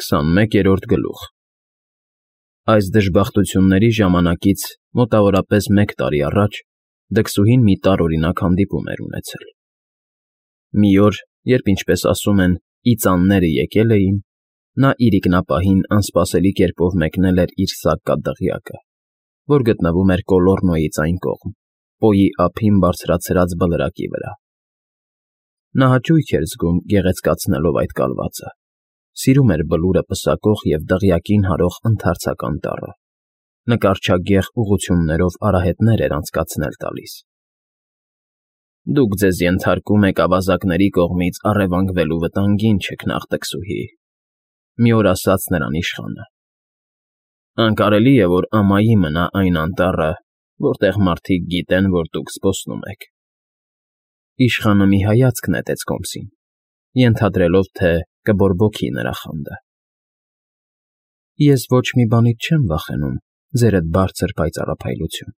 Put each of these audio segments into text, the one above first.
21-րդ գլուխ Այս դժբախտությունների ժամանակից մոտավորապես 1 տարի առաջ դքսուհին մի տարօրինակ հանդիպում էր ունեցել։ Մի օր, երբ, ինչպես ասում են, իծանները եկել էին, նա իրիկնապահին անսպասելի կերպով մեկնել էր իր սակկատդղյակը, որ գտնվում էր Կոլոռնոյից այն կողմ, Պոյի ափին բարձրացրած բլրակի վրա։ Նա հաճույք էր զգում գեղեցկացնելով այդ կալվածը, սիրում էր բլուրը պսակող և դղյակին հարող ընդարձական տառը, նկարչագեղ ուղղություններով արահետներ էր անցկացնել տալիս։ Դուք ձեզ ենթարկում եք ավազակների կողմից առևանգվելու վտանգին, չքնաղ տքսուհի, մի օր ասաց նրան իշխանը։ Անկարելի է, որ ամայի մնա այն անտառը, որտեղ մարդիկ գիտեն, որ դուք զբոսնում եք։ Իշխանը մի հայացք նետեց կոմսին, ենթադրելով, թե կբորբոքի նրա խանդը։ Ես ոչ մի բանից չեմ վախենում, ձերդ բարձր պայծառափայլություն,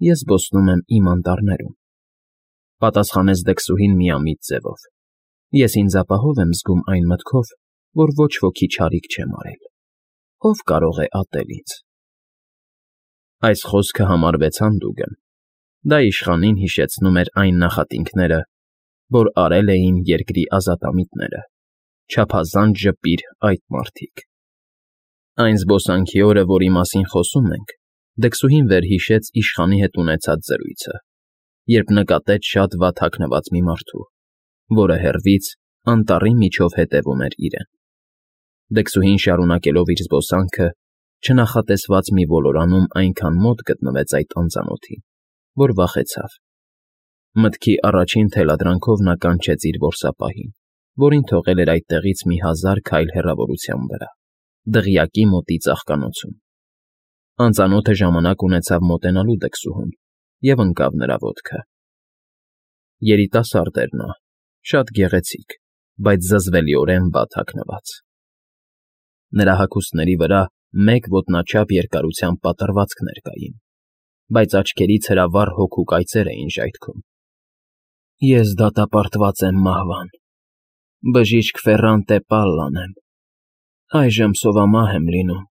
ես զբոսնում եմ իմ անտառներում, պատասխանեց դքսուհին միամիտ ձևով։ Ես ինձ ապահով եմ զգում այն մտքով, որ ոչ ոքի չարիք չեմ արել։ Ով կարող է ատել ինձ։ Այս խոսքը համարվեց հանդուգն։ Դա իշխանին հիշեցնում էր այն նախատինքները, որ արել էին երկրի ազատամիտները, չափազանց ժպիր այդ մարդիկ։ Այն զբոսանքի օրը, որի մասին խոսում ենք, դքսուհին վերհիշեց իշխանի հետ ունեցած զրույցը, երբ նկատեց շատ վատ հագնված մի մարդու, որը հեռվից անտառի միջով հետևում էր իրեն։ Դքսուհին շարունակելով իր զբոսանքը, չնախատեսված մի ոլորանում այնքան մոտ գտնվեց այդ անծանոթին, որ վախեցավ։ Մտքի առաջին թելադրանքով նա կանչեց իր որսապահին, որին թողել էր այդտեղից մի 1000 քայլ հեռավորության վրա, դղյակի մոտի ծաղկանոցում։ Անծանոթը ժամանակ ունեցավ մոտենալու դքսուհուն և ընկավ նրա ոտքը։ Երիտասարդ էր նա, շատ գեղեցիկ, բայց զզվելիորեն վատ հագնված։ Նրա հագուստների վրա 1 ոտնաչափ երկարությամբ պատռվածքներ կային, բայց աչքերից հրավառ հոգու կայծեր էին ժայթքում։ Ես դատապարտված եմ մահվան, բժիշկ Ֆերրանտե Պալլան եմ, այժմ սովամահ եմ լինում,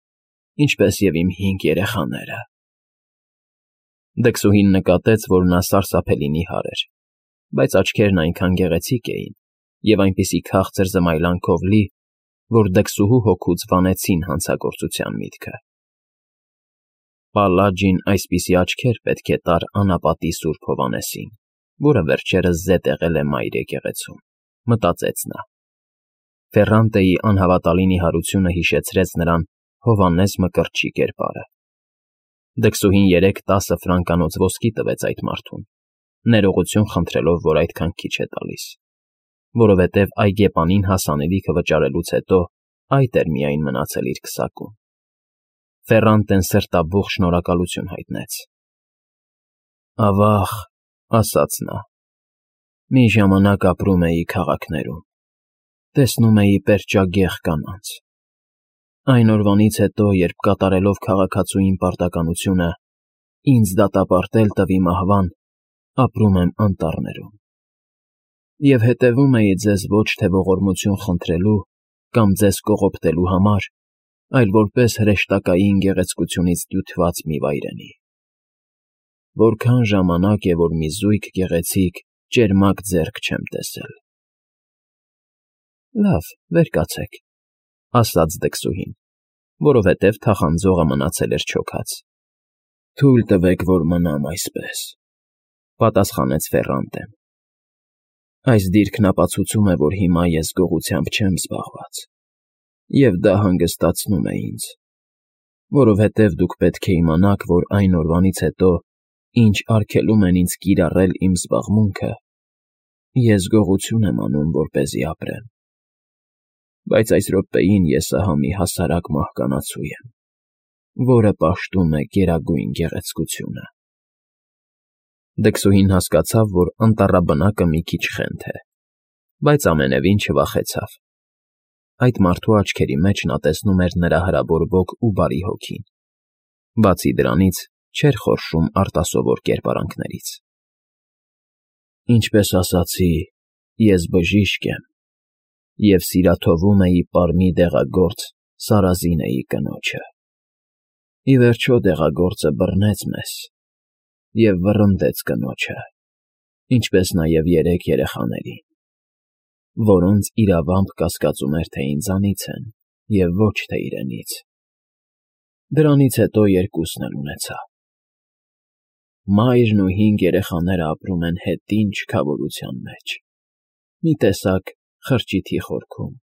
ինչպես և իմ 5 երեխաները։ Դքսուհին նկատեց, որ նա սարսափելի նիհար էր, բայց աչքերն այնքան գեղեցիկ էին և այնպիսի քաղցր զմայլանքով լի, որ դքսուհու հոգուց վանեցին հանցագործության միտքը։ Պալլաջին այսպիսի աչքեր պետք է տար անապատի Սուրբ Հովհաննեսին, որը վերջերս զետ եղել է Մայր եկեղեցում, մտածեց նա։ Ֆերրանտեի անհավատալի նիհարությունը հիշեցրեց նրան Հովհաննես Մկրտչի կերպարը։ Դքսուհին 3-10 ֆրանկանոց ոսկի տվեց այդ մարդուն, ներողություն խնդրելով, որ այդքան քիչ է տալիս, որովհետև այգեպանին հասանելիքը վճարելուց հետո այդ էր միայն մնացել իր քսակում։ Ֆերրանտեն սրտաբուխ շնորհակալություն հայտնեց։ Ավաղ, ասաց նա, մի ժամանակ ապրում էի քաղաքներում, տեսնում էի պերճագեղ կանանց։ Այն օրվանից հետո, երբ կատարելով քաղաքացուին պարտականությունը, ինձ դատապարտել տվի մահվան, ապրում եմ անտառներում։ Եվ հետևում էի ձեզ ոչ թե ողորմություն խնդրելու կամ ձեզ կողոպտելու համար, այլ որպես հրեշտակային գեղեցկությունից դյութված մի վայրենի։ Որքան ժամանակ է, որ մի զույգ գեղեցիկ, ճերմակ ձեռք չեմ տեսել։ Լավ, վեր կացեք, ասաց դքսուհին, որովհետև թախանձողը մնացել էր չոքած։ Թույլ տվեք, որ մնամ այսպես, պատասխանեց Ֆերրանտեն։ Այս դիրքն ապացուցում է, որ հիմա ես գողությամբ չեմ զբաղված, և դա հանգստացնում է ինձ, որովհետև դուք պետք է իմանաք, որ այն օրվանից հետո, ինչ արգելում են ինձ կիրառել իմ զբաղմունքը, ես գողություն եմ անում, որպեսզի ապրեմ։ Բայց այս րոպեին ես ահա մի հասարակ մահկանացու եմ, որը պաշտում է գերագույն գեղեցկությունը։ Դքսուհին հասկացավ, որ անտառաբնակը մի քիչ խենթ է, բայց ամենևին չվախեցավ։ Այդ մարդու աչքերի մեջ նա տեսնում էր նրա հրաբորվող ու բարի հոգին։ Բացի դրանից, չէր խորշում արտասովոր կերպարանքներից։ Ինչպես ասացի, ես բժիշկ եմ, և սիրաթովում էի պարմի դեղագործ Սարազինեի կնոջը։ Ի վերջո դեղագործը բռնեց մեզ և վռնդեց կնոջը, ինչպես նաև 3 երեխաներին, որոնց իրավամբ կասկածում էր, թե ինձանից են և ոչ թե իրենից։ Դրանից հետո երկուսն էլ ունեցա։ Մայրն ու 5 երեխաները ապրում են հետին չքավորության մեջ, մի տեսակ խրճիթի խորքում,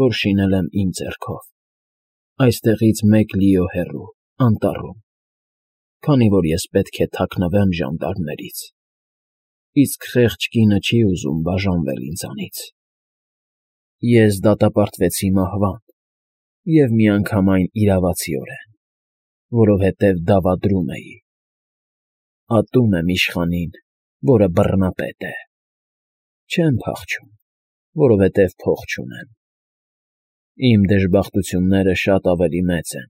որ շինել եմ իմ ձեռքով, այստեղից 1 լիո հեռու, անտառում, քանի որ ես պետք է թաքնվեմ ժանդարմներից, իսկ խեղճ կինը չի ուզում բաժանվել ինձանից։ Ես դատապարտվեցի մահվան և միանգամայն իրավացիորեն, որովհետև դավադրում էի։ Ատում եմ իշխանին, որը բռնապետ է։ Չեմ փախչում, որովհետև փող չունեմ։ Իմ դժբախտությունները շատ ավելի մեծ են,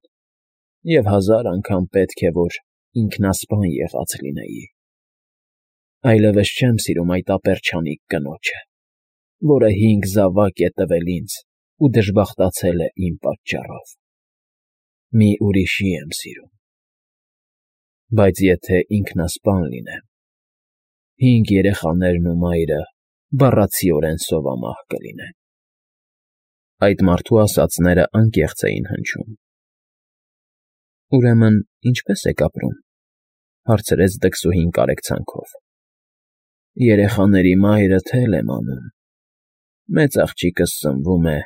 և 1000 անգամ պետք է, որ ինքնասպան եղած լինեի։ Այլևս չեմ սիրում այդ ապերչանիկ կնոջը, որը 5 զավակ է տվել ինձ ու դժբախտացել է իմ պատճառով։ Մի ուրիշի եմ սիրում։ Բայց եթե ինքնասպան լինեմ, 5 երեխաներն ու մայրը բառացիորեն սովամահ կլինեն։ Այդ մարդու ասածները անկեղծ էին հնչում։ Ուրեմն ինչպե՞ս եք ապրում,֊ հարցրեց դքսուհին կարեկցանքով։ Երեխաների մայրը թել եմ անում։ Մեծ աղջիկս սնվում է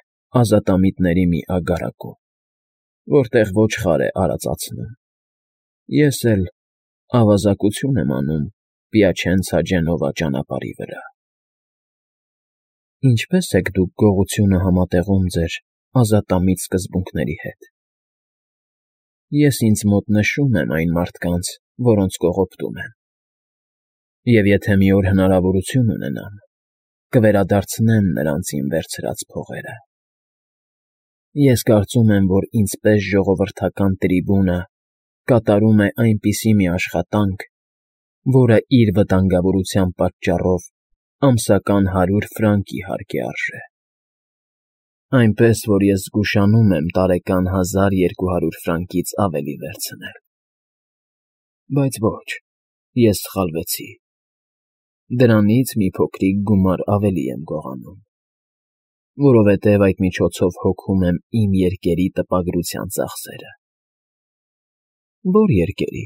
ազատամիտների մի ագարակում, որտեղ ոչխար է արածացնում։ Ես էլ ավազակություն եմ անում Պիաչենցա-Ջենովա ճանապարհի վրա։ Ինչպե՞ս եք դուք գողությունը համատեղում ձեր ազատամիտ սկզբունքների հետ։ Ես ինձ մոտ նշում եմ այն մարդկանց, որոնց կողոպտում եմ, և եթե մի օր հնարավորություն ունենամ, կվերադարձնեմ նրանց իմ վերցրած փողերը։ Ես կարծում եմ, որ ինձպես ժողովրդական տրիբունը կատարում է այնպիսի մի աշխատանք, որը իր վտանգավորության պատճառով ամսական 100 ֆրանկի հարկ է արժե։ Այնպես, որ ես զգուշանում եմ տարեկան 1200 ֆրանկից ավելի վերցնել։ Բայց ոչ, ես սխալվեցի։ Դրանից մի փոքրիկ գումար ավելի եմ գողանում, որովհետև այդ միջոցով հոգում եմ իմ երկերի տպագրության ծախսերը։ Ո՞ր երկերի։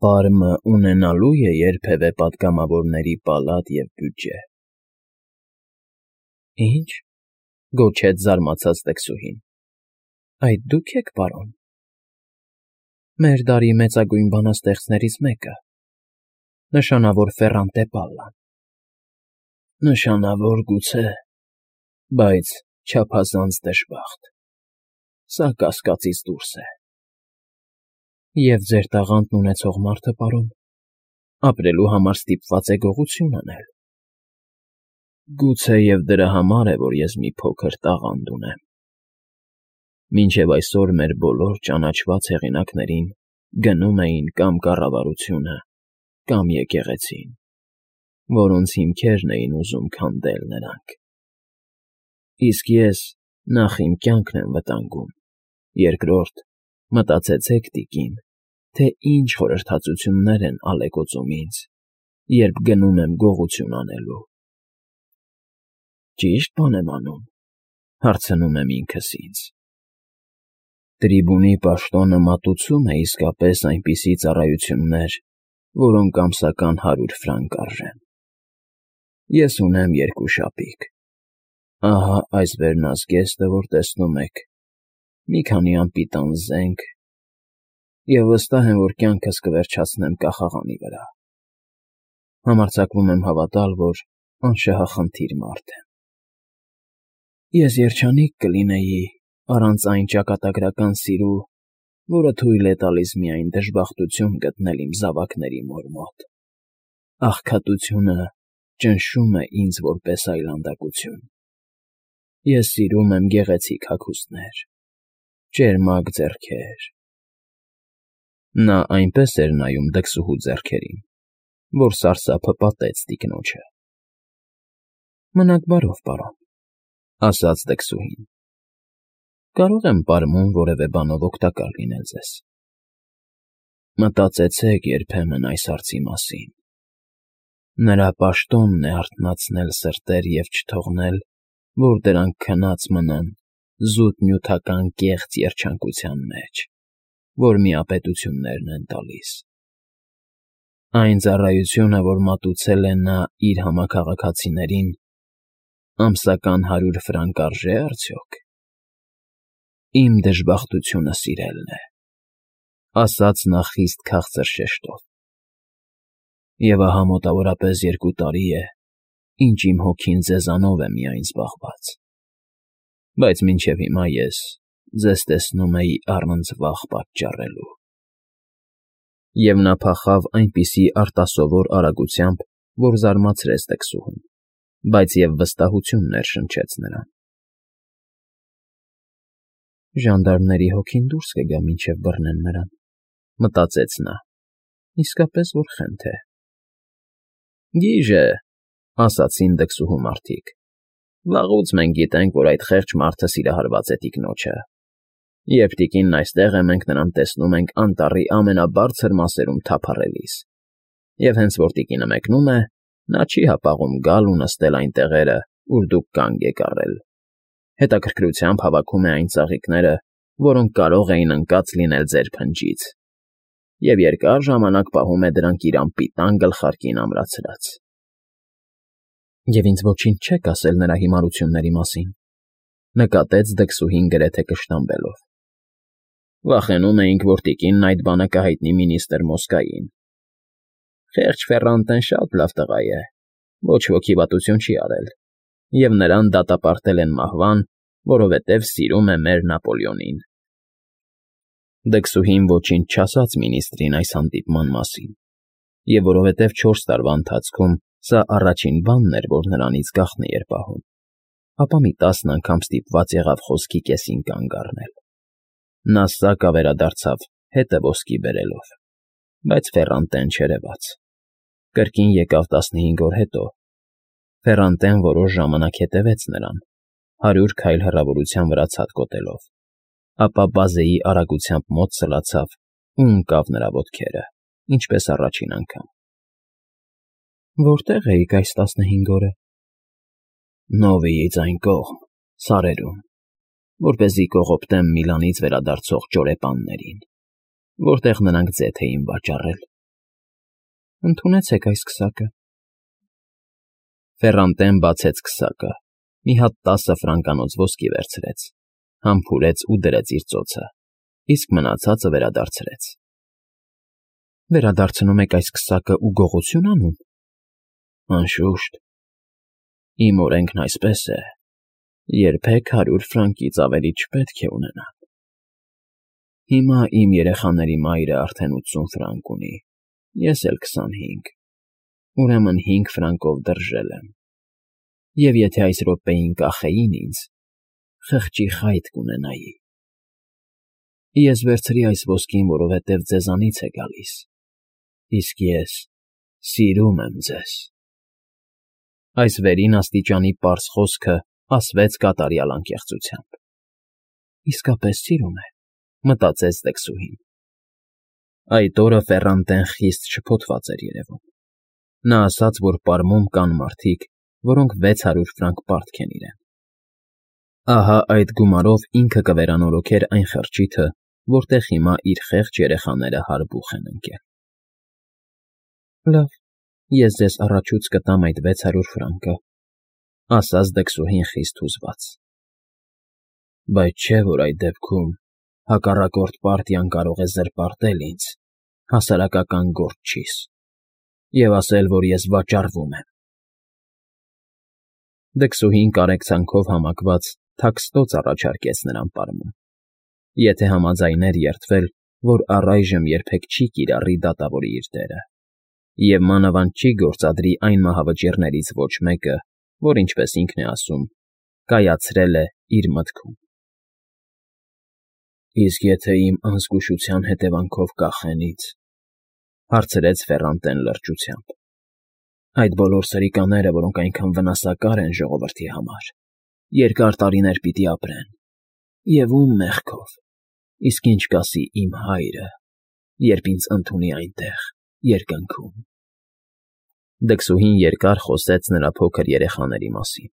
Պարմը ունենալու է երբևէ պատգամավորների պալատ և բյուջե։ Ի՞նչ,֊ գոչեց զարմացած տքսուհին։ Այդ դու՞ք եք, պարոն։ Մեր դարի մեծագույն բանաստեղծներից մեկը, նշանավոր Ֆերրանտե Պալլան։ Նշանավոր գուցե, բայց չափազանց դժբախտ։ Սա կասկածից դուրս է։ Եվ ձեր տաղանդն ունեցող մարդը, պարոն, ապրելու համար ստիպված է գողություն անել։ Գուցեև դրա համար է, որ ես մի փոքր տաղանդ ունեմ։ Մինչև այսօր մեր բոլոր ճանաչված հեղինակներին գնում էին կամ կառավարությունը, կամ եկեղեցին, որոնց հիմքերն էին ուզում քանդել նրանք։ Իսկ ես նախ իմ կյանքն եմ վտանգում, երկրորդ, մտածեցեք, տիկին, թե ինչ խորհրդածություններ են ալեկոծում ինձ, երբ գնում եմ գողություն անելու։ Ճի՞շտ բան եմ անում,֊ հարցնում եմ ինքս ինձ։ Տրիբունի պաշտոնը մատուցում է իսկապես այնպիսի ծառայություններ, որոնք ամսական 100 ֆրանկ արժեն։ Ես ունեմ 2 շապիկ։ Ահա այս վերնազգեստը, որ տեսնում եք, մի քանի անպիտան զենք, և վստահ եմ, որ կյանքս կվերջացնեմ կախաղանի վրա։ Համարձակվում եմ հավատալ, որ անշահախնդիր մարդ եմ։ Ես երջանիկ կլինեի առանց այն ճակատագրական սիրու, որը թույլ է տալիս միայն դժբախտություն գտնել իմ զավակների մոր մոտ։ Աղքատությունը ճնշում է ինձ որպես այլանդակություն։ Ես սիրում եմ գեղեցիկ հագուստներ, ճերմակ ձեռքեր։ Նա այնպես էր նայում դքսուհու ձեռքերին, որ սարսափը պատեց տիկնոջը։ Մնաք բարով, պարոն, ասաց դքսուհին։ Կարող եմ պարմուն որևէ բանով օգտակար լինել ձեզ։ Մտածեցեք երբեմն այս հարցի մասին։ Նրա պաշտոնն է արթնացնել սրտեր և չթողնել, որ դրանք քնած մնան զուտ նյութական կեղծ երջանկության մեջ, որ միապետություններն են տալիս։ Այն ծառայությունը, որ մատուցել է նա իր համաքաղաքացիներին, ամսական 100 ֆրանկ արժե՞ արդյոք։ Իմ դժբախտությունը սիրելն է, ասաց նա խիստ քաղցր շեշտով։ Եվ ահա մոտավորապես 2 տարի է, ինչ իմ հոգին ձեզանով է միայն զբաղված, բայց մինչև հիմա ես ձեզ տեսնում էի առնձվաղ պատճառելու։ Եվ նա փախավ այնպիսի արտասովոր արագությամբ, որ զարմացրեց դքսուհուն, բայց և վստահություն ներշնչեց նրան։ Ժանդարմների հոգին դուրս կգա, մինչև բռնեն նրան, մտածեց նա, իսկապես որ խենթ է։ Գիժե, ասացին դքսուհու մարդիկ, վաղուց մենք գիտենք, որ այդ խեղճ մարդը սիրահարված է տիկնոջը։ Երբ տիկինն այստեղ է, մենք նրան տեսնում ենք անտառի ամենաբարձր մասերում թափառելիս, և հենց որ տիկինը մեկնում է, նա չի հապաղում գալ ու նստել այն տեղերը, ուր դուք կանգ եք առել։ Հետաքրքրությամբ հավաքում է այն ծաղիկները, որոնք կարող էին ընկած լինել ձեր փնջից, և երկար ժամանակ պահում է դրանք իր անպիտան գլխարկին ամրացրած։ Եվ ինձ ոչինչ չեք ասել նրա հիմարությունների մասին, նկատեց դքսուհին գրեթե կշտամբելով։ Վախենում էինք, որ տիկինն այդ բանը կհայտնի մինիստր Մոսկային։ Խեղճ Ֆեռանտեն շատ լավ տղա է, ոչ ոքի վատություն չի արել, և նրան դատապարտել են մահվան, որովհետև սիրում է մեր Նապոլեոնին։ Դքսուհին ոչինչ չասաց մինիստրին այս հանդիպման մասին, և որովհետև 4 տարվա ընթացքում սա առաջին բանն էր, որ նրանից գաղտնի էր պահում, ապա մի 10 անգամ ստիպված եղավ խոսքի կեսին կանգ առնել։ Նա սակավ վերադարձավ հետը ոսկի բերելով, բայց Ֆեռանտեն չերևաց։ Կրկին եկավ 15 օր հետո։ Ֆեռանտեն որոշ ժամանակ հետևեց նրան, 100 քայլ հեռավորության վրա ցատկոտելով, ապա բազեի արագությամբ մոտ սլացավ ու ընկավ նրա ոտքերը, ինչպես առաջին անգամ։ Որտե՞ղ էիք այս 15 օրը։ Նովիից այն կողմ, սարերում, որպեսզի կողոպտեմ Միլանից վերադարձող ճորեպաններին, որտեղ նրանք ձեթ էին վաճառել։ Ընդունեցեք այս քսակը։ Ֆեռանտեն բացեց քսակը, մի հատ 10 ֆրանկանոց ոսկի վերցրեց, համբուրեց ու դրեց իր ծոցը, իսկ մնացածը վերադարձրեց։ Վերադարձնում եք այս քսակը ու գողություն անում։ Անշուշտ, իմ օրենքն այսպես է, երբեք 100 ֆրանկից ավելի չպետք է ունենան։ Հիմա իմ երեխաների մայրը արդեն 80 ֆրանկ ունի, ես էլ 25, ուրեմն 5 ֆրանկով դրժել եմ, և եթե այս րոպեին կախեին ինձ, խղճի խայտ կունենայի։ Ես վերցրի այս ոսկին, որովհետև ձեզանից է գալիս, իսկ ես սիրում եմ ձեզ։ Այս վերին աստիճանի պարզ խոսքը ասվեց կատարյալ անկեղծությամբ։ Իսկապես սիրում է, մտածեց դքսուհին։ Այդ օրը Ֆեռանտեն խիստ շփոթված էր երևում։ Նա ասաց, որ պարմում կան մարդիկ, որոնք 600 ֆրանկ պարտք են իրեն։ Ահա այդ գումարով ինքը կվերանորոգեր այն խրճիթը, որտեղ հիմա իր խեղճ երեխաները հարբուխ են ընկել։ Լավ, ես ձեզ առաջուց կտամ այդ 600 ֆրանկը, ասաց դքսուհին խիստ հուզված։ Բայց չէ՞ որ այդ դեպքում հակառակորդ պարտիան կարող է զրպարտել ինձ, հասարակական գործչիս, և ասել, որ ես վաճառվում եմ։ Դքսուհին կարեկցանքով համակված թաքստոց առաջարկեց նրան պարմուն, եթե համաձայներ երդվել, որ առայժմ երբեք չի կիրառի դատավորի իր դերը, և մանավանդ չի գործադրի այն մահավճիռներից ոչ մեկը, որ, ինչպես ինքն է ասում, կայացրել է իր մտքում։ Իսկ եթե իմ անզգուշության հետևանքով կախեն ինձ, հարցրեց Ֆեռանտեն լրջությամբ։ Այդ բոլոր սրիկաները, որոնք այնքան վնասակար են ժողովրդի համար, երկար տարիներ պիտի ապրեն, և ում մեղքով, իսկ ինչ կասի իմ հայրը, երբ ինձ ընդունի այնտեղ, երկնքում»։ Դքսուհին երկար խոսեց նրա փոքր երեխաների մասին,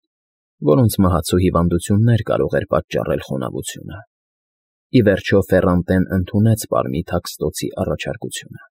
որոնց մահացու հիվանդություններ կարող էր պատճառել խոնավությունը։ Ի վերջո Ֆեռանտեն ընդունեց Պարմի թաքստոցի առաջարկությունը։